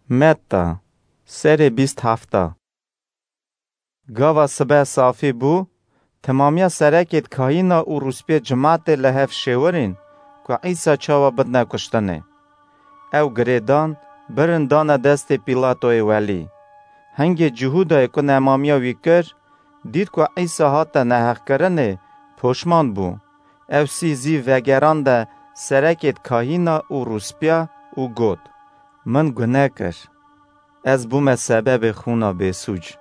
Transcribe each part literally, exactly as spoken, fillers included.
Metta, serê bîst hefta. Gava sibe safî bû, temamiya serekêd kahîna û rûspiyê cimatê li hev şêwirîn ku Îsa çawa bidine kuştinê. Ew girêdan, birin dane destê Pîlatoyê welî. Hingê Cihûdayê ku nemamiya wî kir, dît ku Îsa hate neheqkirinê, poşman bû. Ew sî zîv vegerande serekêd kahîna û rûspiya û got, "Min gune kir. Ez bûme sebebê xûna bêsûc."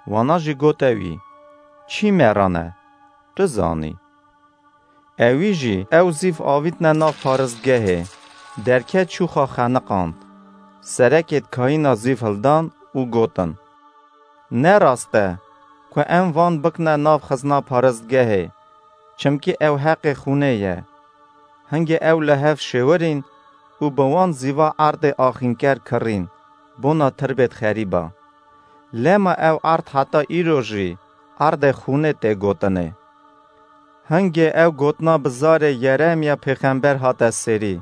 Wana jî gote wî, "Çî merane, tu zanî." Ewî jî ew zîv avîtine nav paristgehê, derket çû xwe xeniqand. Serekêd kahîna zîv hildan û gotin, "Ne rast e ku em van bikine nav xizna paristgehê, çimkî ew heqê xûnê ye." Hingê ew li hev şêwirîn û bi wan zîva erdê axînker kirîn, bona tirbêd xerîba. Lema ew erd heta îro jî erdê xûnê tê gotinê. Hingê ew gotina bi zarê Yeremiya pêxember hate serî,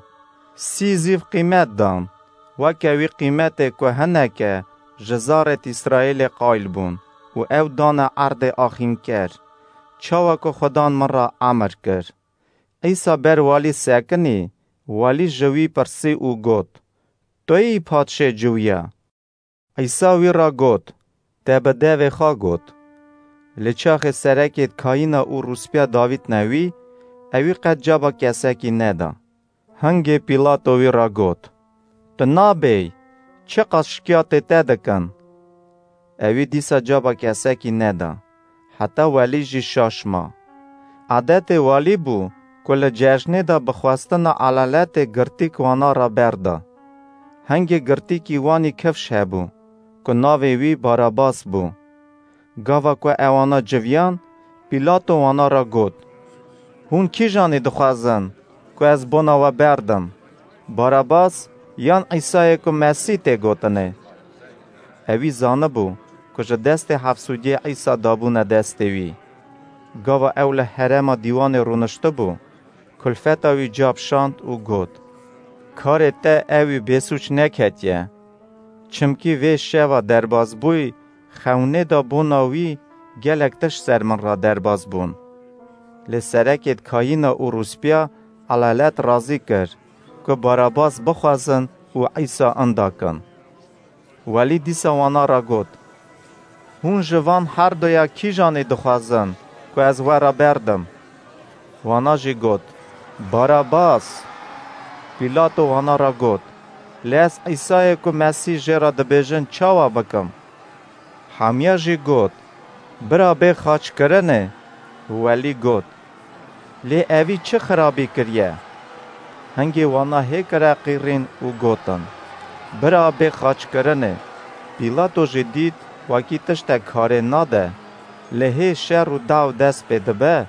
"Sî zîv qîmet dan, weke wî qîmetê ku hineke ji zarêd Îsraîlê qayil bûn û ew dane erdê axînker, çawa ku Xudan min re emir kir." Îsa ber walî sekinî, walî ji wî pirsî û got, "Tu yî padşê ciwiya?" Îsa wî re got, "Te bi devê xwe got." Lê çaxê serekêd kahîna û rûspiya davîtine wî, ewî qet caba kesekî neda. Hingê Pîlato wî re got, "Tu nabêy, çiqas şikiyatê te dikin." Ewî dîsa caba kesekî neda, heta welî jî şaş ma. Adetê walî bû ku li cejnê de bi xwestina elaletê girtîk wana re berda. Hingê girtîkî wanî kifş hebû, ku navê wî Barabas bû. Gava ku ewana civiyan, Pîlato wana re got, "Hûn kîjanî dixwazin ku ez bona we berdim? Barabas yan Îsayê ku Mesîh tê gotinê?" Ewî zanibû ku ji destê hefsûdiyê Îsa dabûne destê wî. Gava ew li herêma dîwanê rûniştibû, kulfeta wî capşand û got, "Karê te ewî bêsûc neketiye. Çimkî vê şeva derbasbûyî xewnê de bona wî gelek tişt ser min re derbas bûn." Lê serekêd kayîna û rûspiya elalet razî kir ku Barabas bixwazin û Îsa inda kin. Welî dîsa wana re got, "Hûn ji van herduya kîjanê dixwazin ku ez we re berdim?" Wana jî got, "Barabas." Pîlato wana re got, "Lê ez Îsayê ku Mesîh jê re dibêjin çawa bikim?" Hemiya jî got, "Bira bê xaçkirinê." Welî got, "Lê evî çi xirabî kiriye?" Hingê wana hê kire qîrîn û gotin, "Bira bê xaçkirinê." Pîlato jî dît wekî tiştek karê nade, lê hê şer û daw dest pê dibe,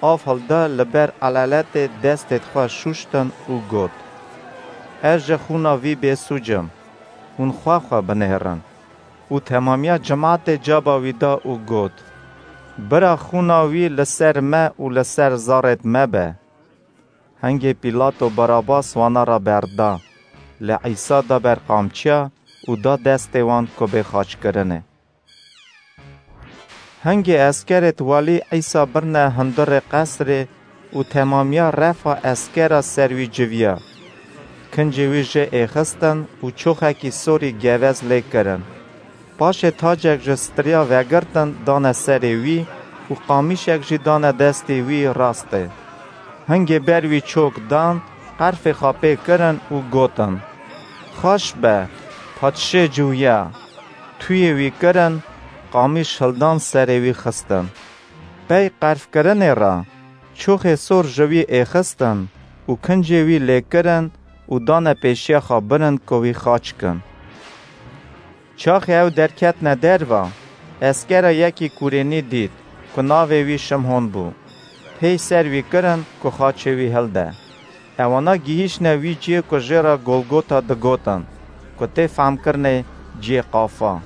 av hilda li ber elaletê destêd xwe şûştin û got, "Ez ji xûna vî bêsûc im, hûn xwe xwe binêrin." Û temamiya cimatê caba wî da û got, "Bira xûna wî li ser me û li ser zarêd me be." Hingê Pîlato Barabas wana re berda, lê Îsa da ber qamçiya û da destê wan ku bê xaçkirinê. Hingê eskerêd welî Îsa birine hundirê qesrê û temamiya refa eskera ser wî civiya. Kincê wî jê êxistin û çoxekî sorî gevez lê kirin. Paşê tacek ji striya vegirtin dane serê wî û qamîşek jî dane destê wî rastê. Hingê ber wî çok dan, qerfê xwe pê kirin û gotin, "Xweş be, padşê ciwiya." Tuyê wî kirin, qamîş hildan serê wî xistin. Pey qerfkirinê re, çoxê sor ji wî êxistin û kincê wî lê kirin û dane pêşiya xwe birin ku wî xaç kin. Çaxê ew derketine derva, eskera yekî kurênî dît ku navê wî Şimhon bû. Pêy ser wî kirin ku xaçê wî hilde. Ewana gihîştine wî ciyê ku jê re Golgota digotin, ku tê femkirinê ciyê qafa.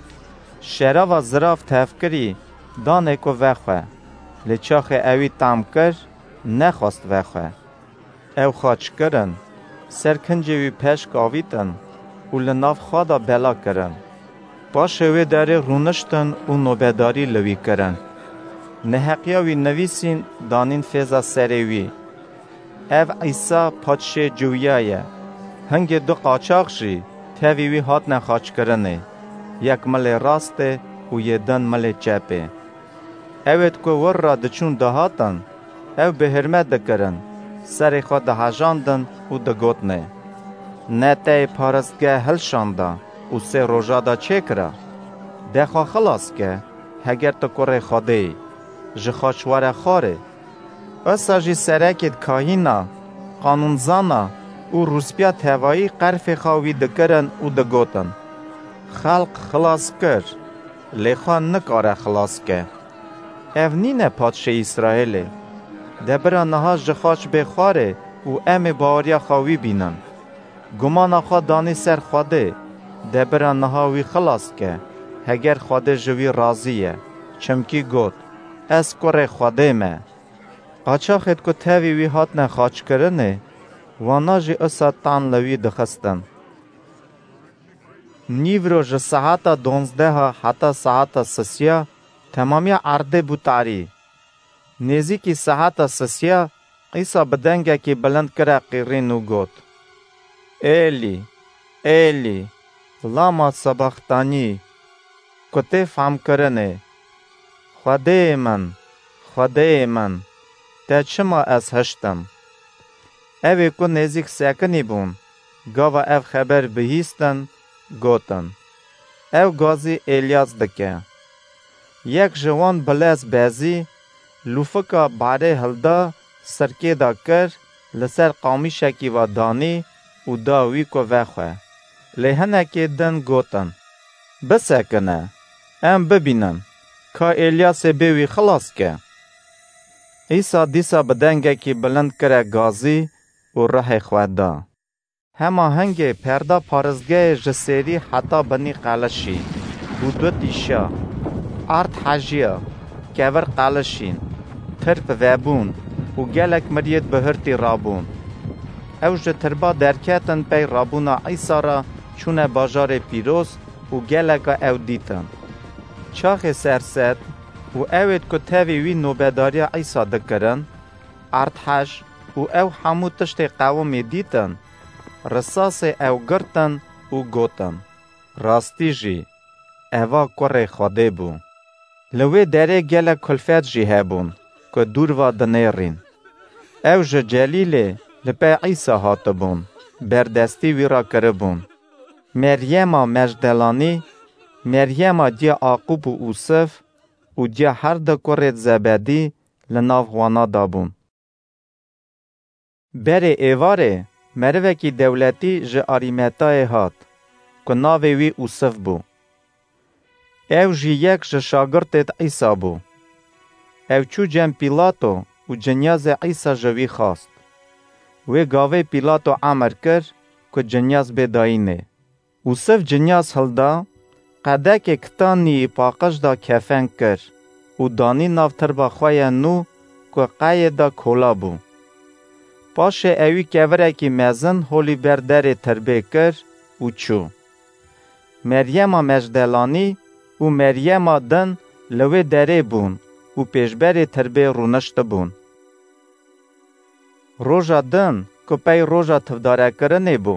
Şerava zirav tevkirî danê ku vexwe, lê çaxê ewî tam kir, nexwest vexwe. Ew xaç kirin, ser kincê wî peşk avîtin, û li nav xwe de bela kirin. Paşê wê derê rûniştin û nobedarî li wî kirin. Neheqiya wî nivîsîn danîn fêza serê wî. Ev Îsa padşê ciwiya ye. Hingê du qaçax jî tevî wî hatine xaçkirinê, yek milê rastê û yê din milê çepê. Ewêd ku wir re diçûn dihatin, ew bi hirmet dikirin, serê xwe dihejandin û digotinê: Ne te yê paristgeh hilşanda û sê roja de çêkira? De xwe xilas ke, heger tu kurê Xwedê yî, ji xaç were xwarê. Wisa jî serekêd kahîna, qanûnzana û rûspîya tevayî qerfê xwe wî dikirin û digotin: Xelq xilas kir, lê xwe nikare xilas ke. Ev nîne padşê Îsraêlê? De bira niha ji xaç bê xwarê û em ê baweriya xwe wî bînin. Gumana xwe danî ser Xwedê, de bira niha wî xilas ke, heger Xwedê ji wî razî ye, çimkî got: Ez kurê Xwedê me. Qaçaxêd ku tevî wî hatine xaçkirinê, wana jî usa tan li wî dixistin. Nîvro ji saeta donzdeha heta saeta sisiya temamiya erdê bû tarî. Nêzîkî saeta sisiya Îsa bi dengekî bilind kire qîrîn û got: Êlî, Êlî, lama sebaxtanî? Ku tê fehmkirinê: Xwedêyê min, Xwedêyê min, te çima ez hiştim? Ew ê ku nêzîk sekinî bûn, gava ev xeber bihîstin, gotin: Ew gazî Êlyas dike. Yek ji wan bilez bezî, lûfika barê hilda, sirkê de kir, li ser qamîşekî ve danî û da wî ku vexwe. Lê hinekê din gotin: Bisekine, em bibînin, ka Êlyasê bê wî xilas ke. Îsa dîsa bi dengekî bilind kire gazî û rihê xwe da. Hema hingê perda parêzgehê ji sêrî heta binî qelişî û du tîşa, erd hejiya, kevir qelişîn, tirp vebûn û gelek miriyêd bi hirtî rabûn. Ew ji tirba derketin pey rabûna Îsa re çûne bajarê pîroz û geleka ew dîtin. Çaxê serset û ewêd ku tevî wî nobedariya Îsa dikirin, erdhej û ew hemû tiştê qewimî dîtin, risasê ew girtin û gotin: Rastî jî, eva kurê Xwedê bû. Li wê derê gelek kulfet jî hebûn, ku dûr ve dinêrîn. Ew ji Celîlê li pey Îsa hatibûn, berdestî wî re kiribûn. Meryema Mejdelanî, Meryema diya Aqûb û Ûsif û diya her du kurêd Zebedî li nav wana de bûn. Berê êvarê merivekî dewletî ji Arîmetayê hat, ku navê wî Ûsif bû. Ew jî yek ji şagirtêd Îsa bû. Ew çû cem Pîlato û cinyazê Îsa ji wî xwast. Wê gavê Pîlato emir kir, ku cinyaz bê dayînê. Ûsif cinyaz hilda, qedekê kitanî yî paqij da kefen kir û danî nav tirba xwe ya nû, ku qeyê da kola bû. Paşê ewî kevirekî mezin holî ber derê tirbê kir û çû. Meryema Mejdelanî û Meryema din li wê derê bûn û pêşberê tirbê rûniştibûn. Roja din ku pey roja tivdarekirinê bû,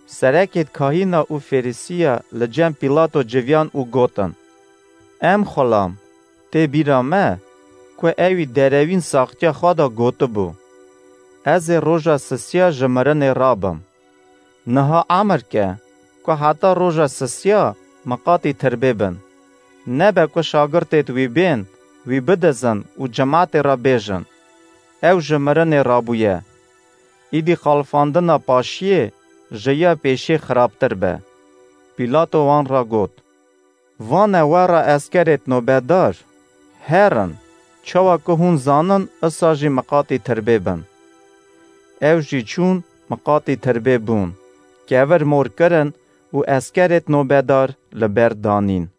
serekêd kahîna û Fêrisiya li cem Pîlato civiyan û gotin: Em xulam, tê bîra me ku ewî derewîn saxtiya xwe de gotibû: Ez ê roja sisiya ji mirinê rabim. Niha emir ke ku heta roja sisiya miqatî tirbê bin. Nebe ku şagirtêd wî bên, wî bidizin û cimatê re bêjin: Ew ji mirinê rabûye. Îdî xalifandina paşiyê ji ya pêşiyê xirabtir be. Pîlato wan re got: Vane we re eskerêd nobedar, herin, çawa ku hûn zanin, usa jî miqatî tirbê bin. Ew jî çûn, miqatî tirbê bûn, kevir mor kirin û eskerêd nobedar li ber danîn.